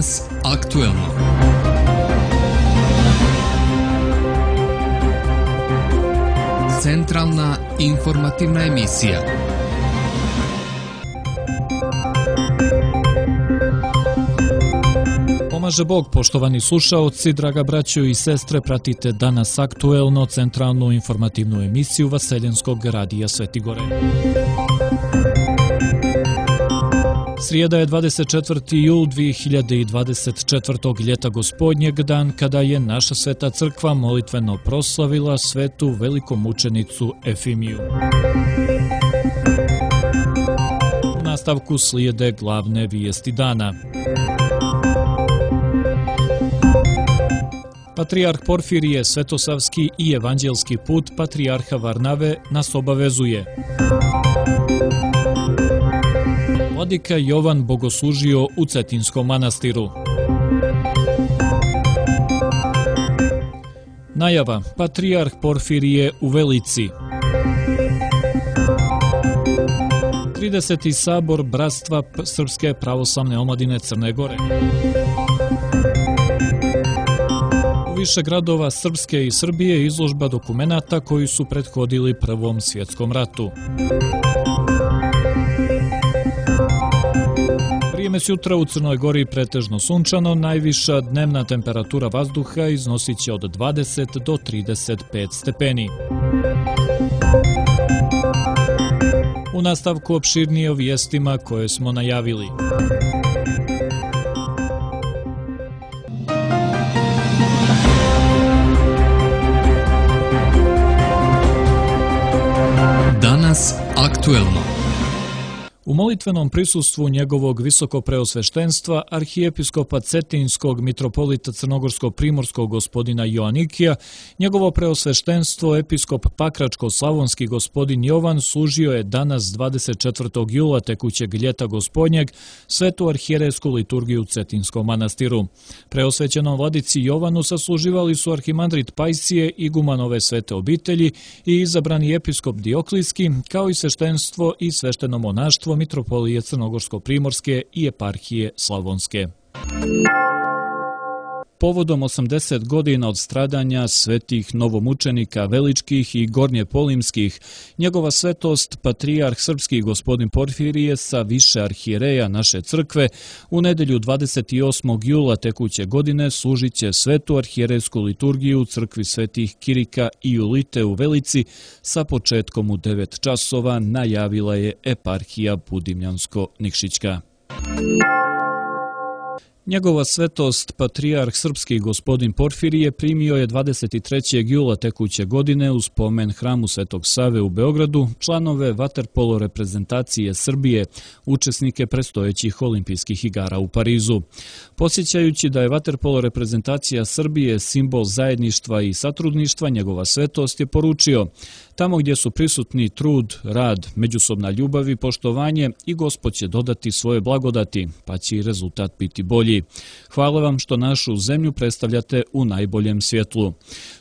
Danas aktuelno. Centralna informativna emisija. Pomaže Bog, poštovani slušaoci, draga braćo i sestre, pratite Danas aktuelno, centralnu informativnu emisiju Vaseljenskog radija Sveti Gore. Srijeda je 24. jul 2024. ljeta gospodnjeg, dan kada je naša sveta crkva molitveno proslavila svetu velikomučenicu Efimiju. U nastavku slijede glavne vijesti dana. Patrijarh Porfirije, svetosavski i evanđelski put patrijarha Varnave nas obavezuje. Vladika Jovan bogoslužio u Cetinskom manastiru. Najava, patrijarh Porfirije u Velici. 30. sabor Bratstva Srpske pravoslavne omladine Crne Gore. U više gradova Srpske i Srbije izložba dokumenata koji su prethodili Prvom svjetskom ratu. Vrijeme sutra u Crnoj Gori pretežno sunčano, najviša dnevna temperatura vazduha iznosit će od 20 do 35 stepeni. U nastavku opširnije o vijestima koje smo najavili. Danas aktuelno. U molitvenom prisustvu njegovog visokopreosveštenstva arhijepiskopa Cetinskog mitropolita Crnogorsko-primorskog gospodina Joanikija, njegovo preosveštenstvo episkop Pakračko-slavonski gospodin Jovan služio je danas 24. jula tekućeg ljeta gospodnjeg svetu arhijerejsku liturgiju u Cetinskom manastiru. Preosvećenom vladici Jovanu sasluživali su arhimandrit Pajsije, igumanove svete obitelji i izabrani episkop Dioklijski, kao i sveštenstvo i svešteno monaštvo mitropolije Crnogorsko-primorske i eparhije Slavonske. Povodom 80 godina od stradanja svetih novomučenika Veličkih i Gornjepolimskih, njegova svetost, patrijarh srpski gospodin Porfirije sa više arhijereja naše crkve, u nedjelju 28. jula tekuće godine služit će svetu arhijerejsku liturgiju u crkvi svetih Kirika i Julite u Velici sa početkom u 9 časova, najavila je eparhija Budimljansko-Nikšićka. Njegova svetost, patrijarh srpski gospodin Porfirije, primio je 23. jula tekuće godine u spomen hramu Svetog Save u Beogradu članove vaterpolo reprezentacije Srbije, učesnike predstojećih olimpijskih igara u Parizu. Podsjećajući da je vaterpolo reprezentacija Srbije simbol zajedništva i satrudništva, njegova svetost je poručio: tamo gdje su prisutni trud, rad, međusobna ljubav i poštovanje, i Gospod će dodati svoje blagodati, pa će i rezultat biti bolji. Hvala vam što našu zemlju predstavljate u najboljem svjetlu.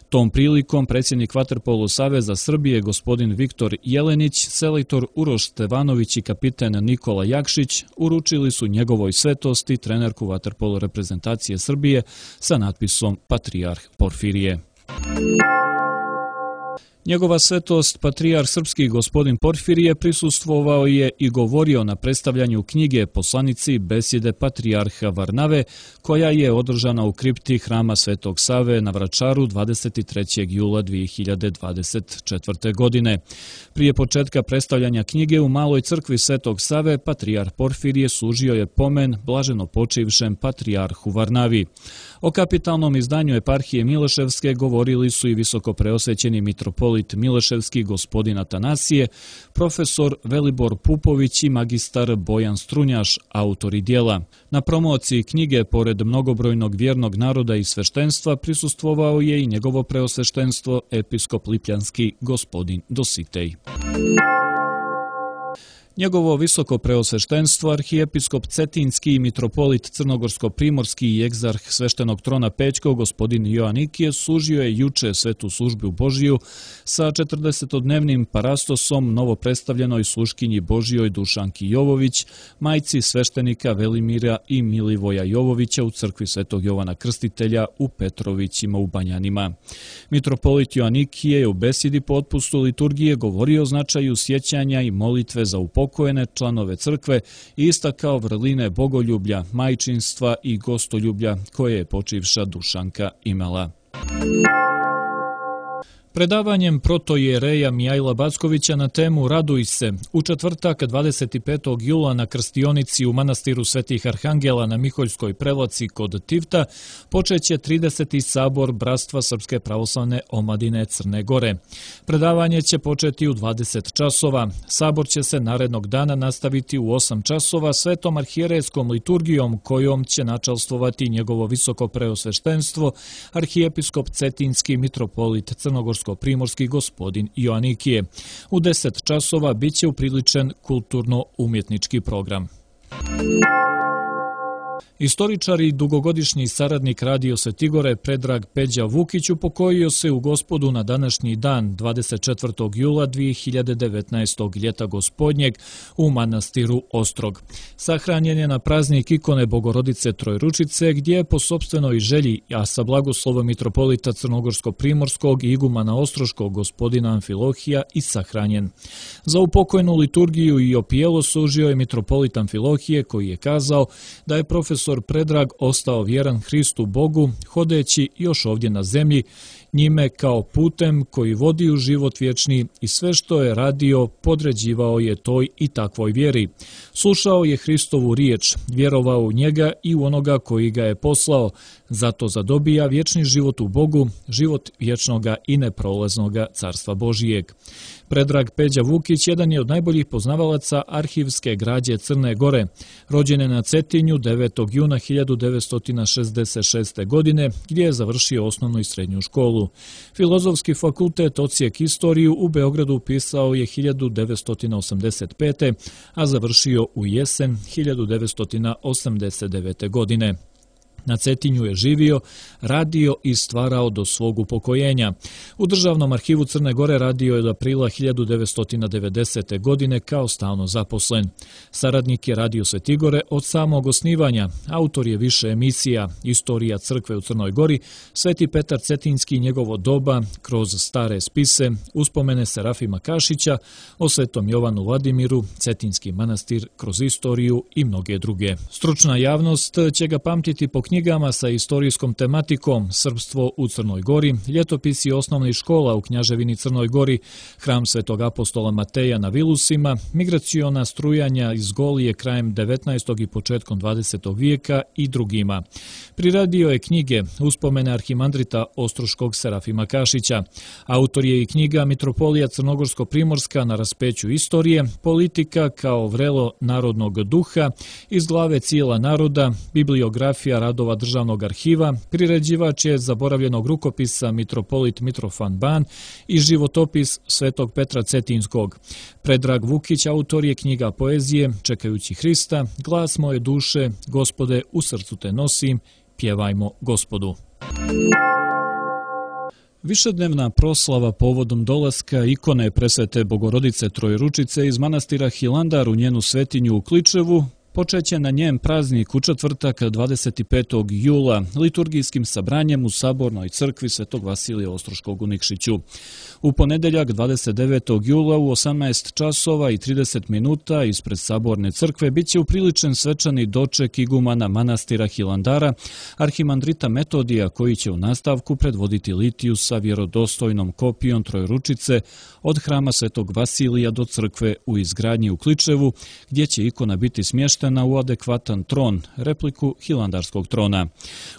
Tom prilikom predsjednik Vaterpolo Saveza Srbije gospodin Viktor Jelenić, selektor Uroš Stevanović i kapiten Nikola Jakšić uručili su njegovoj svetosti trenerku vaterpolo reprezentacije Srbije sa natpisom Patrijarh Porfirije. Njegova svetost, patrijarh srpski gospodin Porfirije, prisustvovao je i govorio na predstavljanju knjige Poslanici besjede patrijarha Varnave, koja je održana u kripti hrama Svetog Save na Vračaru 23. jula 2024. godine. Prije početka predstavljanja knjige u Maloj crkvi Svetog Save, patrijarh Porfirije služio je pomen blaženo počivšem patrijarhu Varnavi. O kapitalnom izdanju eparhije Mileševske govorili su i visoko preosvećeni mitropolit Mileševski gospodin Atanasije, profesor Velibor Pupović i magistar Bojan Strunjaš, autori dijela. Na promociji knjige, pored mnogobrojnog vjernog naroda i sveštenstva, prisustvovao je i njegovo preosveštenstvo episkop Lipljanski gospodin Dositej. Njegovo visoko preosveštenstvo, arhijepiskop Cetinski, mitropolit Crnogorsko-primorski i egzarh sveštenog trona Pećkog, gospodin Joanikije, služio je juče svetu službu Božiju sa 40-dnevnim parastosom novopredstavljenoj sluškinji Božijoj Dušanki Jovović, majci sveštenika Velimira i Milivoja Jovovića u crkvi Svetog Jovana Krstitelja u Petrovićima u Banjanima. Mitropolit Joanikije je u besedi po otpustu liturgije govorio o značaju sjećanja i molitve za upokojene članove crkve i istakao vrline bogoljublja, majčinstva i gostoljublja koje je počivša Dušanka imala. Predavanjem protoijereja Mijajla Backovića na temu Raduj se u četvrtak 25. jula na krstionici u manastiru Svetih Arhangela na Miholjskoj Prelaci kod Tivta počeće 30. sabor Bratstva Srpske pravoslavne omladine Crne Gore. Predavanje će početi u 20 časova. Sabor će se narednog dana nastaviti u 8 časova svetom arhijerejskom liturgijom kojom će načalstvovati njegovo visoko preosveštenstvo, arhijepiskop Cetinski, mitropolit Crnogorsko-primorski gospodin Joanikije. U 10 časova biće upriličen kulturno-umjetnički program. Istoričar i dugogodišnji saradnik Radio Svetigore Predrag Peđa Vukić upokojio se u Gospodu na današnji dan, 24. jula 2019. ljeta gospodnjeg u manastiru Ostrog. Sahranjen je na praznik ikone Bogorodice Trojručice, gdje je po sopstvenoj želji, a sa blagoslovom mitropolita Crnogorsko-primorskog i igumana Ostroškog gospodina Amfilohija i sahranjen. Za upokojnu liturgiju i opijelo služio je mitropolit Amfilohije, koji je kazao da je profesor Predrag ostao vjeran Hristu Bogu, hodeći još ovdje na zemlji, njime kao putem koji vodi u život vječni i sve što je radio podređivao je toj i takvoj vjeri. Slušao je Hristovu riječ, vjerovao u njega i u onoga koji ga je poslao, zato zadobija vječni život u Bogu, život vječnoga i neprolaznoga Carstva Božijeg. Predrag Peđa Vukić jedan je od najboljih poznavalaca arhivske građe Crne Gore. Rođen je na Cetinju 9. juna 1966. godine, gdje je završio osnovnu i srednju školu. Filozofski fakultet odsjek istoriju u Beogradu upisao je 1985. a završio u jesen 1989. godine. Na Cetinju je živio, radio i stvarao do svog upokojenja. U Državnom arhivu Crne Gore radio je od aprila 1990. godine kao stalno zaposlen. Saradnik je Radio Svetigore od samog osnivanja. Autor je više emisija, Istorija crkve u Crnoj Gori, Sveti Petar Cetinski i njegovo doba, kroz stare spise, uspomene Serafima Kašića, o Svetom Jovanu Vladimiru, Cetinski manastir kroz istoriju i mnoge druge. Stručna javnost će ga pamtiti po knjigama sa istorijskom tematikom Srpstvo u Crnoj Gori, ljetopisi osnovnih škola u Knjaževini Crnoj Gori, Hram Svetog apostola Mateja na Vilusima, migraciona strujanja iz Golije krajem 19. i početkom 20. vijeka i drugima. Priradio je knjige Uspomene arhimandrita Ostroškog Serafima Kašića. Autor je i knjiga Mitropolija Crnogorsko-primorska na raspeću istorije, Politika kao vrelo narodnog duha, Iz glave cijela naroda, bibliografija radova Državnog arhiva, priređivač je zaboravljenog rukopisa mitropolit Mitrofan Ban i životopis Svetog Petra Cetinskog. Predrag Vukić autor je knjiga poezije Čekajući Hrista, Glas moje duše, Gospode, u srcu te nosim, pjevajmo Gospodu. Višednevna proslava povodom dolaska ikone Presvete Bogorodice Trojručice iz manastira Hilandar u njenu svetinju u Kličevu počeće na njen praznik u četvrtak 25. jula liturgijskim sabranjem u Sabornoj crkvi Svetog Vasilija Ostroškog u Nikšiću. U ponedeljak 29. jula u 18 časova i 30 minuta ispred Saborne crkve biće upriličen svečani doček igumana manastira Hilandara, arhimandrita Metodija, koji će u nastavku predvoditi litiju sa vjerodostojnom kopijom Trojručice od hrama Svetog Vasilija do crkve u izgradnji u Kličevu, gdje će ikona biti smještena smeštena u adekvatan tron, repliku Hilandarskog trona.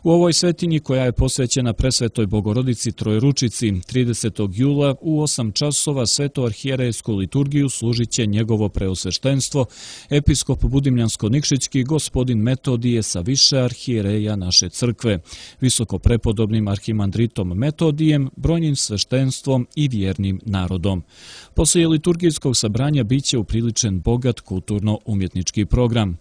U ovoj svetinji, koja je posvećena presvetoj Bogorodici Trojeručici, 30. jula u 8 časova svetoarhijerejsku liturgiju služit će njegovo preosveštenstvo, episkop Budimljansko-Nikšićki gospodin Metodije sa više arhijereja naše crkve, visoko prepodobnim arhimandritom Metodijem, brojnim sveštenstvom i vjernim narodom. Poslije liturgijskog sabranja biće upriličen bogat kulturno-umjetnički program.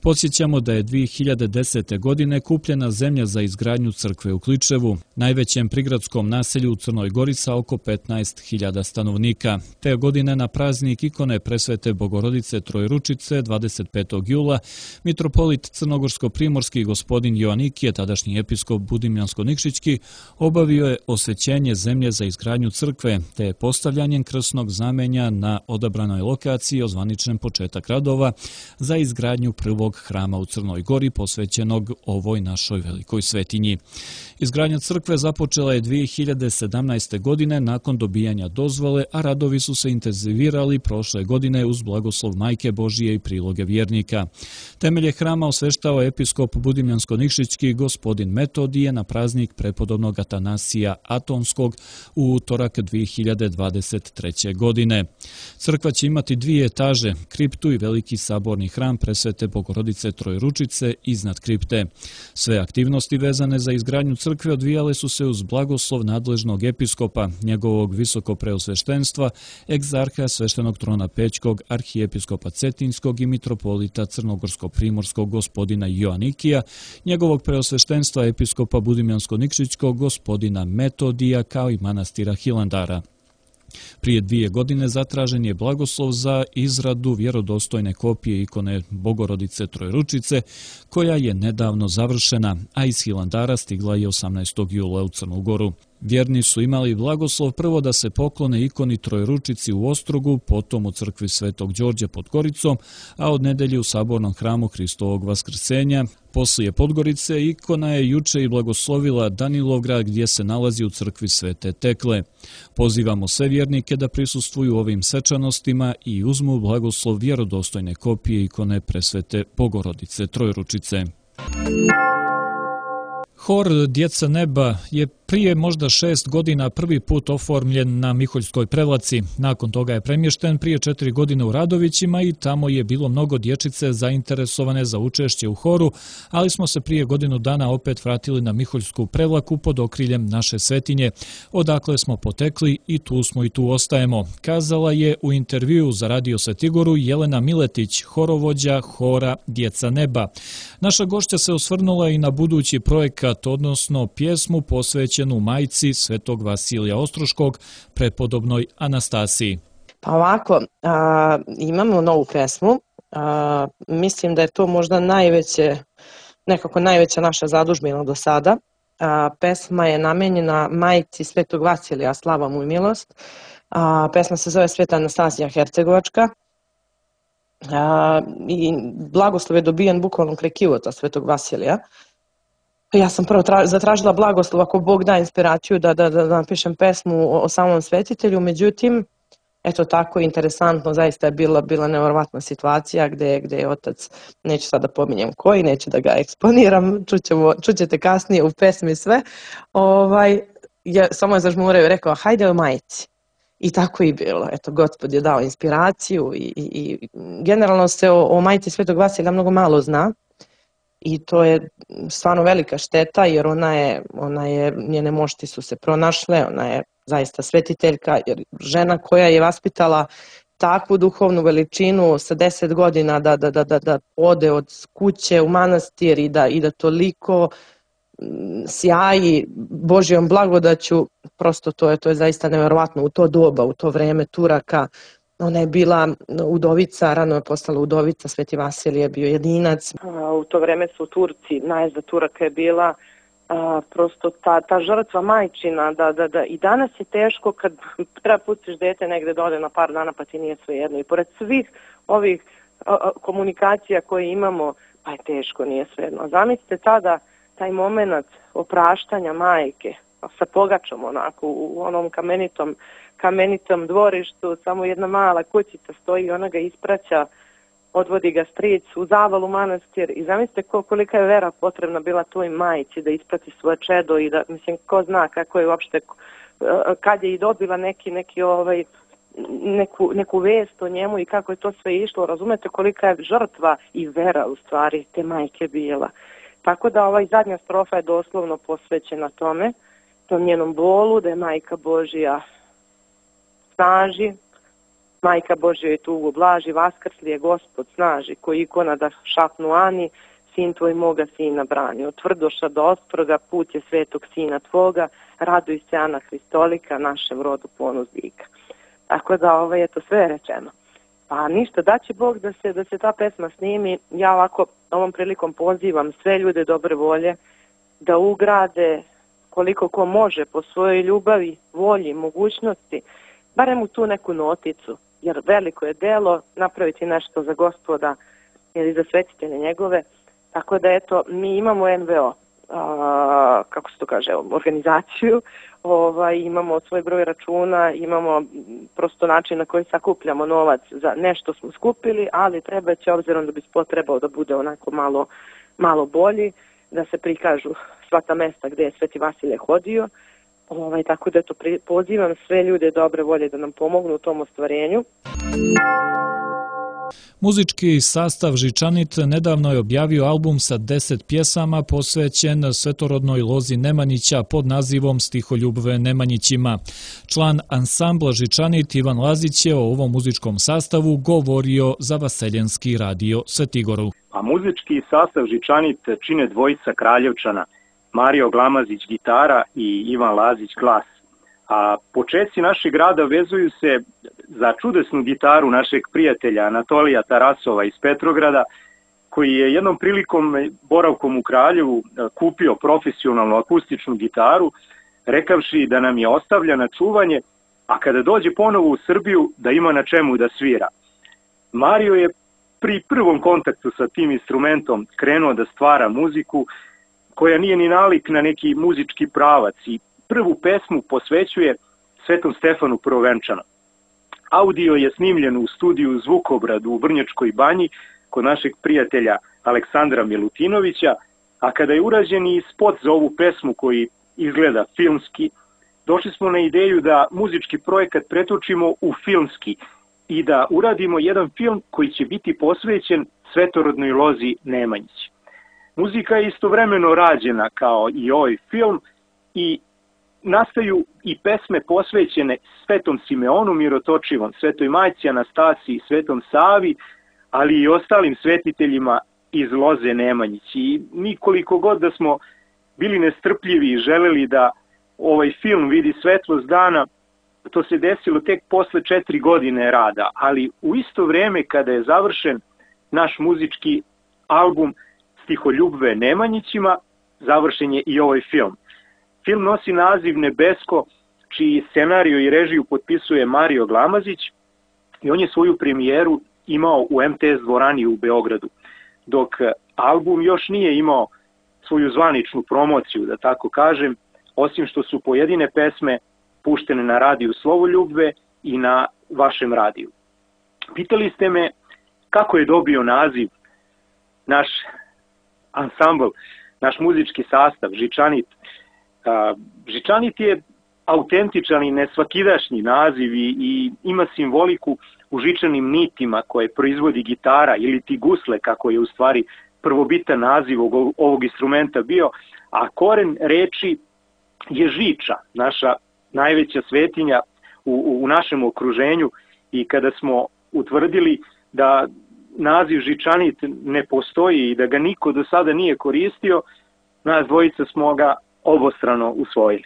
Podsjećamo da je 2010. godine kupljena zemlja za izgradnju crkve u Kličevu, najvećem prigradskom naselju u Crnoj Gori sa oko 15.000 stanovnika. Te godine na praznik ikone presvete Bogorodice Trojeručice 25. jula mitropolit crnogorsko-primorski gospodin Joanikije, tadašnji episkop Budimljansko-Nikšićki, obavio je osvećenje zemlje za izgradnju crkve, te je postavljanjem krstnog znamenja na odabranoj lokaciji ozvaničen početak radova za izgradnju prvog hrama u Crnoj Gori posvećenog ovoj našoj velikoj svetinji. Izgradnja crkve započela je 2017. godine nakon dobijanja dozvole, a radovi su se intenzivirali prošle godine uz blagoslov Majke Božije i priloge vjernika. Temelje hrama osveštao episkop Budimljansko-Nikšićki gospodin Metodije na praznik prepodobnog Atanasija Atonskog u utorak 2023. godine. Crkva će imati 2 etaže, kriptu i veliki saborni hram presvete Bogorodice Trojeručice iznad kripte. Sve aktivnosti vezane za izgradnju crkve odvijale su se uz blagoslov nadležnog episkopa, njegovog visoko preosveštenstva, egzarha sveštenog trona Pećkog, arhijepiskopa Cetinskog i mitropolita crnogorsko-primorskog gospodina Joanikija, njegovog preosveštenstva episkopa Budimljansko-Nikšićkog gospodina Metodija kao i manastira Hilandara. Prije 2 godine zatražen je blagoslov za izradu vjerodostojne kopije ikone Bogorodice Trojeručice, koja je nedavno završena, a iz Hilandara stigla je 18. jula u Crnu Goru. Vjerni su imali blagoslov prvo da se poklone ikoni Trojeručici u Ostrogu, potom u crkvi Svetog Đorđa pod Goricom, a od nedelje u sabornom hramu Hristovog Vaskrsenja. Poslije Podgorice ikona je juče i blagoslovila Danilovgrad, gdje se nalazi u crkvi Svete Tekle. Pozivamo sve vjernike da prisustvuju ovim svečanostima i uzmu blagoslov vjerodostojne kopije ikone presvete Bogorodice Trojeručice. Hor Djeca neba je prije možda 6 godina prvi put oformljen na Miholjskoj Prevlaci. Nakon toga je premješten prije 4 godine u Radovićima i tamo je bilo mnogo dječice zainteresovane za učešće u horu, ali smo se prije godinu dana opet vratili na Miholjsku Prevlaku pod okriljem naše svetinje, odakle smo potekli i tu smo i tu ostajemo, kazala je u intervjuu za Radio Svetigoru Jelena Miletić, horovođa hora Djeca neba. Naša gošća se osvrnula i na budući projekat, odnosno pjesmu posvećenu majci Svetog Vasilija Ostroškog, prepodobnoj Anastasiji. Pa ovako, imamo novu pesmu. Mislim da je to možda najveća naša zadužbina do sada. Pesma je namenjena majci Svetog Vasilija, slava mu i milost. Pesma se zove Sveta Anastasija Hercegovačka. I blagoslov je dobijen bukvalno kraj kivota Svetog Vasilija. Ja sam prvo zatražila blagoslov ako Bog da inspiraciju da napišem pesmu o samom svetitelju, međutim, eto tako interesantno, zaista je bila nevjerovatna situacija gdje je otac, neću sada pominjem koji, neću da ga eksponiram, čućete kasnije u pesmi sve, samo je zažmurio i rekao hajde o majici. I tako i bilo. Eto, Gospod je dao inspiraciju i generalno se o majici Svetog Vasilija mnogo malo zna. I to je stvarno velika šteta jer njene mošti su se pronašle, ona je zaista svetiteljka, jer žena koja je vaspitala takvu duhovnu veličinu sa 10 godina da ode od kuće u manastir i da toliko sjaji Božjom blagodaću, prosto to je zaista nevjerovatno u to doba, u to vreme Turaka. Ona je bila udovica, rano je postala udovica, Sveti Vasilij je bio jedinac. U to vreme su Turci, najezda Turaka je bila prosto ta žrtva majčina, da i danas je teško kad treba pustiš dete negde dole na par dana pa ti nije svejedno. I pored svih ovih komunikacija koje imamo, pa je teško, nije svejedno. Zamislite tada taj moment opraštanja majke sa pogačom onako u onom kamenitom dvorištu, samo jedna mala kućica stoji i ona ga ispraća odvodi ga stric u Zavalu manastir i zamislite kolika je vera potrebna bila toj majci da isprati svoje čedo i da, mislim, ko zna kako je uopšte, kad je i dobila neku vest o njemu i kako je to sve išlo, razumete kolika je žrtva i vera u stvari te majke bila. Tako da zadnja strofa je doslovno posvećena tome, tom njenom bolu, da je Majka Božja snaži, Majka Božja je tugu blaži, vaskrsli je Gospod snaži, koji ikona da šapnu ani, sin tvoj moga sina brani. Od tvrdoša do ostroga, put je svetog sina tvoga, raduj se Ana Hristolika, našem rodu ponos vika. Tako da je to sve rečeno. Pa ništa, daće Bog da se ta pesma snimi. Ja ovako ovom prilikom pozivam sve ljude dobre volje da ugrade koliko ko može po svojoj ljubavi, volji, mogućnosti, barem u tu neku noticu, jer veliko je delo napraviti nešto za Gospoda ili za svetitelje njegove. Tako da eto, mi imamo NVO, kako se to kaže, organizaciju, imamo svoj broj računa, imamo prosto način na koji sakupljamo novac za nešto smo skupili, ali treba će, obzirom da bi spot trebao da bude onako malo bolji, da se prikažu sva ta mesta gdje je Sveti Vasilije hodio, tako da eto, pozivam sve ljude dobre volje da nam pomognu u tom ostvarenju. Muzički sastav Žičanit nedavno je objavio album sa 10 pjesama posvećen svetorodnoj lozi Nemanjića pod nazivom Stiholjubve Nemanjićima. Član ansambla Žičanit Ivan Lazić je o ovom muzičkom sastavu govorio za Vaseljenski radio Svetigoru. A muzički sastav Žičanit čine dvojica Kraljevčana, Mario Glamazić gitara i Ivan Lazić glas. A počeci našeg grada vezuju se za čudesnu gitaru našeg prijatelja Anatolija Tarasova iz Petrograda, koji je jednom prilikom boravkom u Kraljevu kupio profesionalnu akustičnu gitaru, rekavši da nam je ostavlja na čuvanje, a kada dođe ponovo u Srbiju da ima na čemu da svira. Mario je pri prvom kontaktu sa tim instrumentom krenuo da stvara muziku koja nije ni nalik na neki muzički pravac i prvu pesmu posvećuje Svetom Stefanu Prvovenčanom. Audio je snimljen u studiju Zvukobrad u Vrnjačkoj banji kod našeg prijatelja Aleksandra Milutinovića, a kada je urađen i spot za ovu pesmu koji izgleda filmski, došli smo na ideju da muzički projekat pretočimo u filmski i da uradimo jedan film koji će biti posvećen svetorodnoj lozi Nemanjić. Muzika je istovremeno rađena kao i ovaj film i nastaju i pesme posvećene Svetom Simeonu Mirotočivom, Svetoj Majci Anastasiji, Svetom Savi, ali i ostalim svetiteljima iz loze Nemanjić. I mi koliko god da smo bili nestrpljivi i želeli da ovaj film vidi svetlost dana, to se desilo tek posle 4 godine rada, ali u isto vreme kada je završen naš muzički album Stiholjubve Nemanjićima, završen je i ovaj film. Film nosi naziv Nebesko, čiji scenariju i režiju potpisuje Mario Glamazić i on je svoju premijeru imao u MTS dvorani u Beogradu, dok album još nije imao svoju zvaničnu promociju, da tako kažem, osim što su pojedine pesme puštene na radiju Slovoljubve i na vašem radiju. Pitali ste me kako je dobio naziv naš ansambl, naš muzički sastav, Žičanit. Žičanit je autentičan i nesvakidašnji naziv i ima simboliku u žičanim nitima koje proizvodi gitara ili ti gusle, kako je u stvari prvobitan naziv ovog instrumenta bio, a koren reči je žiča, naša najveća svetinja u našem okruženju, i kada smo utvrdili da naziv Žičanit ne postoji i da ga niko do sada nije koristio, nas dvojica smo ga obostrano usvojili.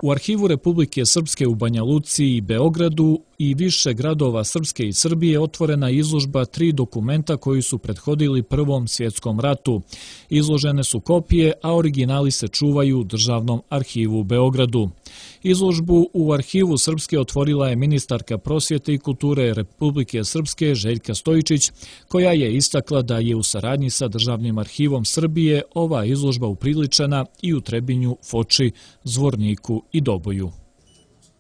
U Arhivu Republike Srpske u Banja Luci i Beogradu i više gradova Srpske i Srbije otvorena izložba 3 dokumenta koji su prethodili Prvom svjetskom ratu. Izložene su kopije, a originali se čuvaju u Državnom arhivu u Beogradu. Izložbu u Arhivu Srpske otvorila je ministarka prosvjete i kulture Republike Srpske Željka Stojičić, koja je istakla da je u saradnji sa Državnim arhivom Srbije ova izložba upriličena i u Trebinju, Foči, Zvorniku i Doboju.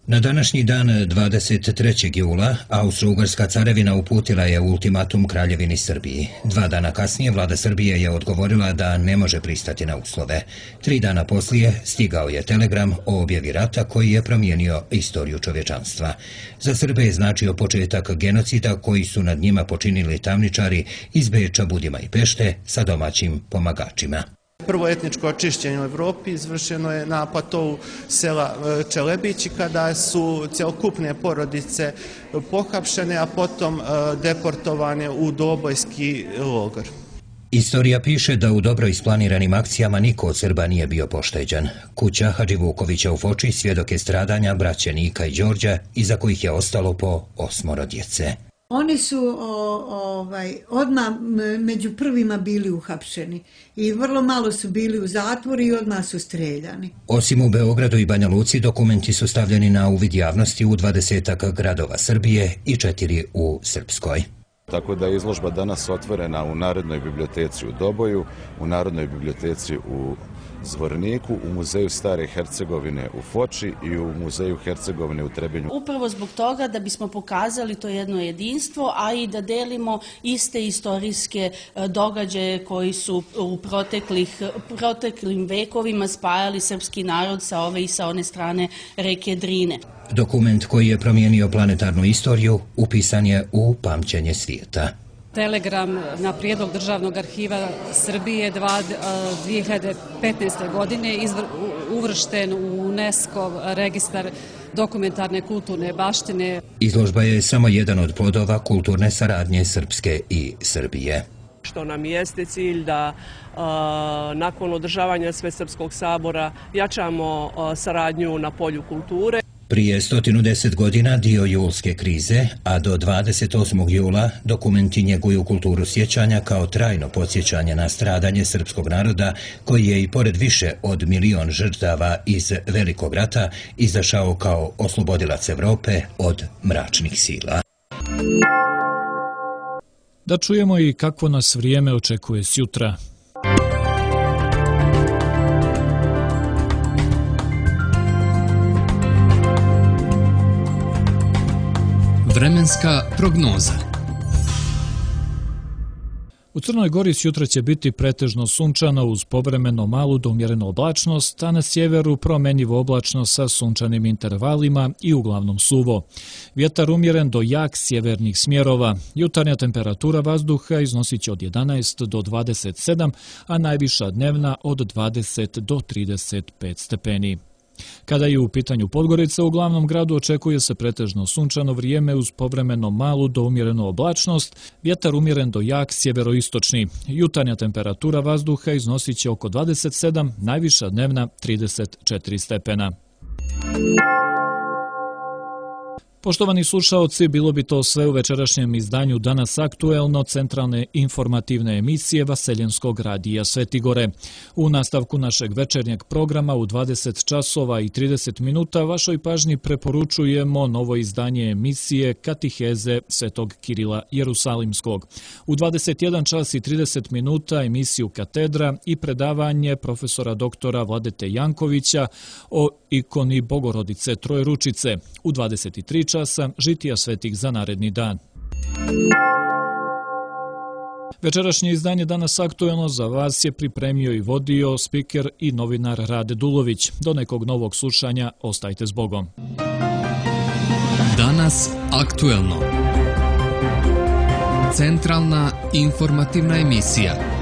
Na današnji dan 23. jula Austro-Ugarska carevina uputila je ultimatum Kraljevini Srbiji. 2 dana kasnije vlada Srbije je odgovorila da ne može pristati na uslove. 3 dana poslije stigao je telegram o objavi rata koji je promijenio istoriju čovječanstva. Za Srbe je značio početak genocida koji su nad njima počinili tamničari iz Beča, Budima i Pešte sa domaćim pomagačima. Prvo etničko očišćenje u Evropi izvršeno je na platovu sela Čelebići kada su cjelokupne porodice pohapšene, a potom deportovane u Dobojski logor. Istorija piše da u dobro isplaniranim akcijama niko od Srba nije bio pošteđen. Kuća Hadži Vukovića u Foči svjedok je stradanja braće Nika i Đorđa, iza kojih je ostalo po 8 djece. Oni su odmah među prvima bili uhapšeni i vrlo malo su bili u zatvoru i odmah su streljani. Osim u Beogradu i Banja Luci, dokumenti su stavljeni na uvid javnosti u 20 gradova Srbije i 4 u Srpskoj. Tako da je izložba danas otvorena u Narodnoj biblioteci u Doboju, u Narodnoj biblioteci u Zvorniku, u Muzeju Stare Hercegovine u Foči i u Muzeju Hercegovine u Trebinju. Upravo zbog toga da bismo pokazali to jedno jedinstvo, a i da delimo iste istorijske događaje koji su u proteklim vekovima spajali srpski narod sa ove i sa one strane reke Drine. Dokument koji je promijenio planetarnu istoriju upisan je u pamćenje svijeta. Telegram na prijedlog Državnog arhiva Srbije 2015. godine uvršten u UNESCO registar dokumentarne kulturne baštine. Izložba je samo jedan od plodova kulturne saradnje Srpske i Srbije. Što nam jeste cilj da nakon održavanja Svesrpskog sabora jačamo saradnju na polju kulture. Prije 110 godina dio julske krize, a do 28. jula dokumenti njeguju kulturu sjećanja kao trajno podsjećanje na stradanje srpskog naroda koji je i pored više od 1 milion žrtava iz Velikog rata izašao kao oslobodilac Evrope od mračnih sila. Da čujemo i kakvo nas vrijeme očekuje sjutra. Vremenska prognoza. U Crnoj Gori sjutra će biti pretežno sunčano uz povremeno malu do umjerenu oblačnost, a na sjeveru promjenjivo oblačno sa sunčanim intervalima i uglavnom suvo. Vjetar umjeren do jak sjevernih smjerova. Jutarnja temperatura vazduha iznosit će od 11 do 27, a najviša dnevna od 20 do 35 stepeni. Kada je u pitanju Podgorica, u glavnom gradu očekuje se pretežno sunčano vrijeme uz povremeno malu do umjerenu oblačnost, vjetar umjeren do jak sjeveroistočni. Jutarnja temperatura vazduha iznosit će oko 27, najviša dnevna 34 stepena. Poštovani slušaoci, bilo bi to sve u večerašnjem izdanju Danas aktuelno centralne informativne emisije Vaseljenskog radija Svetigore. U nastavku našeg večernjeg programa u 20 časova i 30 minuta vašoj pažnji preporučujemo novo izdanje emisije Katiheze Svetog Kirila Jerusalimskog. U 21 čas i 30 minuta emisiju Katedra i predavanje profesora doktora Vladete Jankovića o ikoni Bogorodice Trojručice. U 23 časa žitija svetih za naredni dan. Večerašnje izdanje Danas aktuelno za vas je pripremio i vodio spiker i novinar Rade Dulović. Do nekog novog slušanja, ostajte s Bogom. Danas aktuelno. Centralna informativna emisija.